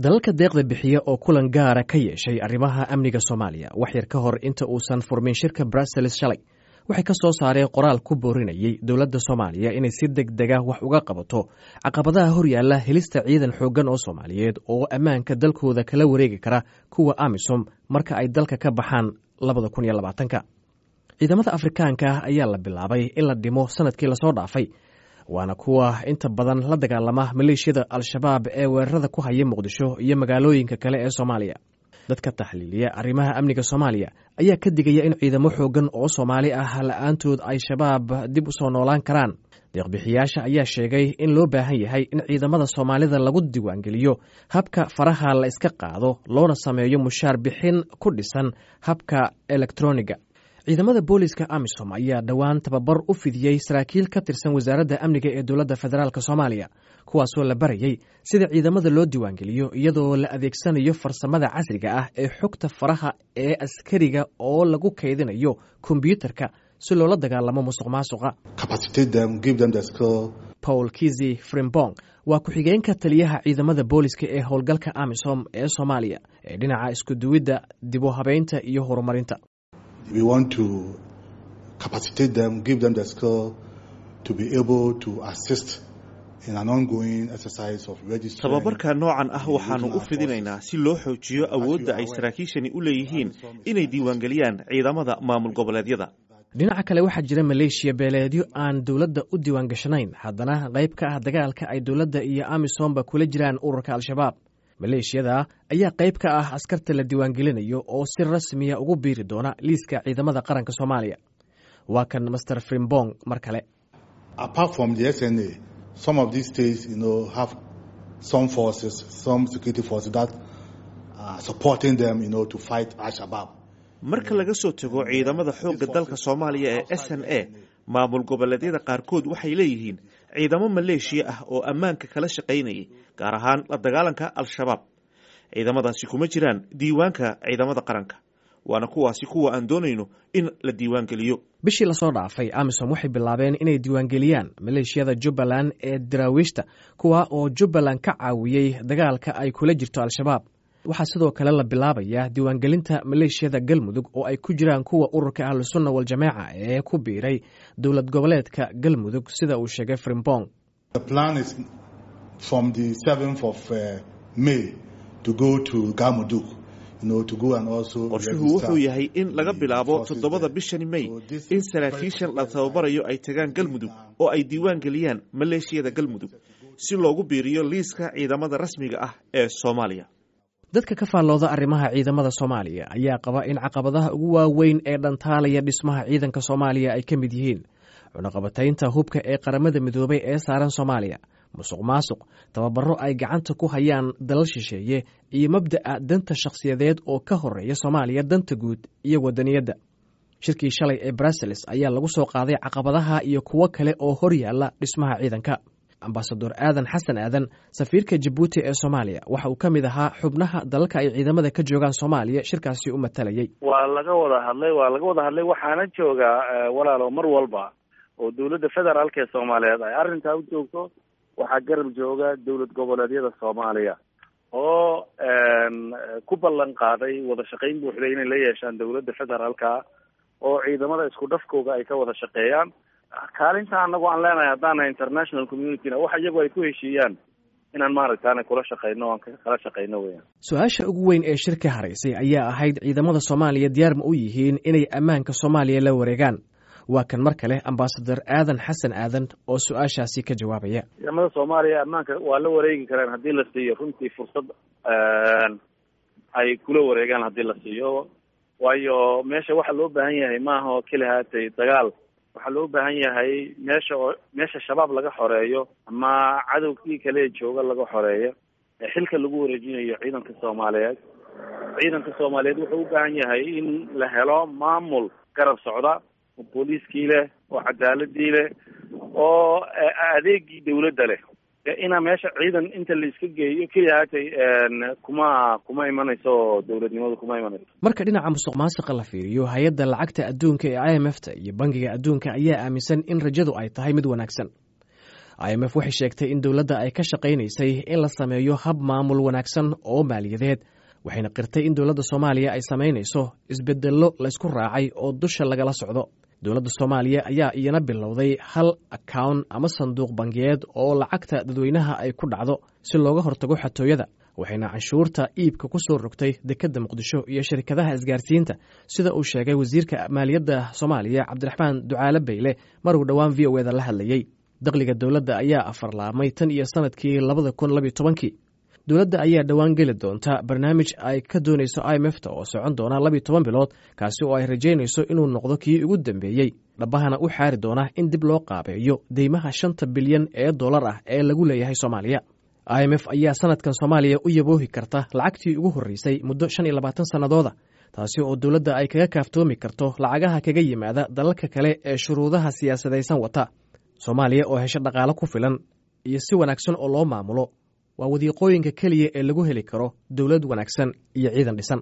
Dalalka deeqda bixiya oo kulan gaara ka yeeshay arrimaha amniga Soomaaliya wax yar ka hor inta uusan furmin shirka Brussels shalay, waxay ka soo saareen qoraal ku boorinayey dowladda Soomaaliya inay si deg dega wax uga qabato caqabadaha horyaalla helista ciidan xooggan oo Soomaaliyeed oo ammaanka dalkooda kala wareegi kara kuwa AMISOM marka ay dalka ka baxaan 2020-ka. Ciidamada Afrikaanka ah ayaa la bilaabay in la dhimo sanadkii lasoo dhaafay, waana kuwa inta badan la dagaalama maleeshiyada Al-Shabaab ee weerarada ku haya Muqdisho iyo magaalooyinka kale ee Soomaaliya. Dadka taxliiliya arrimaha amniga Soomaaliya ayaa ka digaya in ciidamo xooggan oo Soomaali ah la-aantood ay Shabaab dib u soo noolaan karaan. Deeqbixiyaasha ayaa sheegay in loo baahan yahay in ciidamada Soomaalida lagu diiwaangeliyo habka faraha la iska qaado, loona sameeyo mushaar bixin ku dhisan habka elektroniga. Ciidamada booliska AMISOM ayaa dhowaan tababar u fidiyey saraakiil ka tirsan wasaaradda amniga ee dowladda federaalk Soomaaliya, kuwaasoo la barayey sida ciidamada loo diiwaangeliyo iyadoo la adeegsanayo farsamada casriga ah ee xogta faraha ee askariga oo lagu kaydinayo kombyuutarka si loola dagaalamo musuq maasuqa. Paul Kizi Frimbong waa ku-xigeenka taliyaha ciidamada booliska ee howlgalka AMISOM ee Soomaaliya ee dhinaca iskuduwidda, dib u habeynta iyo horumarinta. We want to capacitate them, give them the skill to be able to assist in an ongoing exercise of registering. Tababarka noocan ah waxaanu u fidinaynaa si loo xoojiyo awoodda ay saraakiishani u leeyihiin inay diiwaangeliyaan ciidamada maamul goboleedyada. Dhinaca kale, waxaa jira maleeshiya beeleedyo aan dowladda u diiwaangashanayn, haddana qayb ka ah dagaalka ay dowladda iyo AMISOMba kula jiraan ururka Al-Shabaab. Maleeshiyada ayaa qayb ka ah askarta la diiwaangelinayo oo si rasmiya ugu biiri doona liiska ciidamada qaranka Soomaaliya. Waa kan Master Frimbong mar kale. Apart from the SNA, some of these states have some forces, some security forces that are supporting them to fight Al-Shabaab. Marka laga soo tago ciidamada xoogga dalka Soomaaliya ee SNA, maamul goboleedyada qaarkood waxay leeyihiin ciidamo maleeshiya ah oo ammaanka kala shaqaynayay, gaar ahaan la dagaalanka Al-Shabaab. Ciidamadaasi kuma jiraan diiwaanka ciidamada qaranka, waana kuwaasi kuwa aan doonayno in la diiwaangeliyo. Bishii lasoo dhaafay, AMISOM waxay bilaabeen inay diiwaangeliyaan maleeshiyada Jubbaland ee daraawiishta, kuwa oo Jubbaland ka caawiyey dagaalka ay kula jirto Al-Shabaab. Waxaa sidoo kale la bilaabayaa diiwaangelinta maleeshiyada Galmudug oo ay ku jiraan kuwa ururka Ahlusunna Waljamaaca ee ku biiray dowlad goboleedka Galmudug, sida uu sheegay Frimbong. The plan is from the 7th of May to go to Galmudug. Qorshuhu wuxuu yahay in laga bilaabo 7-da bishani May in saraakiishan la tababarayo ay tagaan Galmudug oo ay diiwaan geliyaan maleeshiyada Galmudug si loogu biiriyo liiska ciidamada rasmiga ah ee Soomaaliya. Dadka ka faallooda arrimaha ciidamada Soomaaliya ayaa qaba in caqabadaha ugu waaweyn ee dhantaalaya dhismaha ciidanka Soomaaliya ay ka mid yihiin cunaqabataynta hubka ee Qaramada Midoobay ee saaran Soomaaliya, musuq maasuq, tababaro ay gacanta ku hayaan dalal shisheeye iyo mabda'a danta shakhsiyadeed oo ka horeeya Soomaaliya danta guud iyo wadaniyadda. Shirkii shalay ee Brussels ayaa lagu soo qaaday caqabadaha iyo kuwo kale oo hor yaalla dhismaha ciidanka. Ambasador Aadan Xasan Aadan, safiirka Jabuuti ee Soomaaliya, waxa uu ka mid ahaa xubnaha dalalka ay ciidamada ka joogaan Soomaaliya shirkaasi u matalayay. Waa laga wada hadlay, waa laga wada hadlay. Waxaana joogaa, walaalo, mar walba oo dowladda federaalka ee Soomaaliyeed ay arrintaa u joogto, waxaa garab jooga dowlad goboleedyada Soomaaliya oo ku ballan qaaday wada shaqayn buuxda inay la yeeshaan dowladda federaalka oo ciidamada isku dhafkooga ay ka wada shaqeeyaan. Kaalinta anagu aan leenahay haddaana international communityna, waxa iyagu ay ku heshiiyaan inaan maaragtaana kula shaqeyno, aan kala shaqeyno weyaan. Su-aasha ugu weyn ee shirka haraysay ayaa ahayd: ciidamada Soomaaliya diyaar ma u yihiin inay ammaanka Soomaaliya la wareegaan? Waa kan mar kale ambasador Aadan Xasan Aadan oo su-aashaasi ka jawaabaya. Ciidamada Soomaaliya ammaanka waa la wareegi karaan haddii la siiyo runtii fursad ay kula wareegaan, haddii la siiyo. Waayo, meesha waxa loo baahan yahay maaha oo keli haatay dagaal. Waxaa loo baahan yahay meesha oo meesha Shabaab laga xoreeyo ama cadowgii kale jooga laga xoreeyo ee xilka lagu wareejinayo ciidanka Soomaaliyeed. Ciidanka Soomaaliyeed wuxuu u baahan yahay in la helo maamul garab socda oo booliiskii leh oo cadaaladii leh oo adeegii dawladda leh. Inaa meesha ciidan inta la iska geeyo keliya haatay kuma imanayso, dowladnimadu kuma imanayso. Marka dhinaca musuq maasuqa la fiiriyo, hay-adda lacagta adduunka ee IMF ta iyo Bangiga Adduunka ayaa aaminsan in rajadu ay tahay mid wanaagsan. IMF waxay sheegtay in dowladda ay ka shaqaynaysay in la sameeyo hab maamul wanaagsan oo maaliyadeed, waxayna qirtay in dowladda Soomaaliya ay samaynayso isbedello laysku raacay oo dusha lagala socdo. Dowladda Soomaaliya ayaa iyana bilowday hal akawn ama sanduuq bangiyeed oo lacagta dadweynaha ay ku dhacdo si looga hortago xatooyada, waxayna canshuurta iibka ku soo rogtay dekedda Muqdisho iyo shirkadaha isgaarsiinta, sida uu sheegay wasiirka maaliyadda Soomaaliya Cabdiraxmaan Ducaale Bayle maruu dhowaan VOA da la hadlayey. Dakhliga dowladda ayaa afarlaabmay tan iyo sanadkii 2012-kii. Dowladda ayaa dhowaan geli doonta barnaamij ay ka doonayso IMF ta oo socon doona 12 bilood, kaasi oo ay rajaynayso inuu noqdo kii ugu dambeeyey, dhabahana u xaari doona in dib loo qaabeeyo deymaha 5 bilyan ee dollar ah ee lagu leeyahay Soomaaliya. IMF ayaa sanadkan Soomaaliya u yaboohi karta lacagtii ugu horreysay muddo 25 sannadooda, taasi oo dowladda ay kaga kaaftoomi karto lacagaha kaga yimaada dalalka kale ee shuruudaha siyaasadaysan wata. Soomaaliya oo hesho dhaqaalo ku filan iyo si wanaagsan oo loo maamulo waa wadiiqooyinka keliya ee lagu heli karo dowlad wanaagsan iyo ciidan dhisan.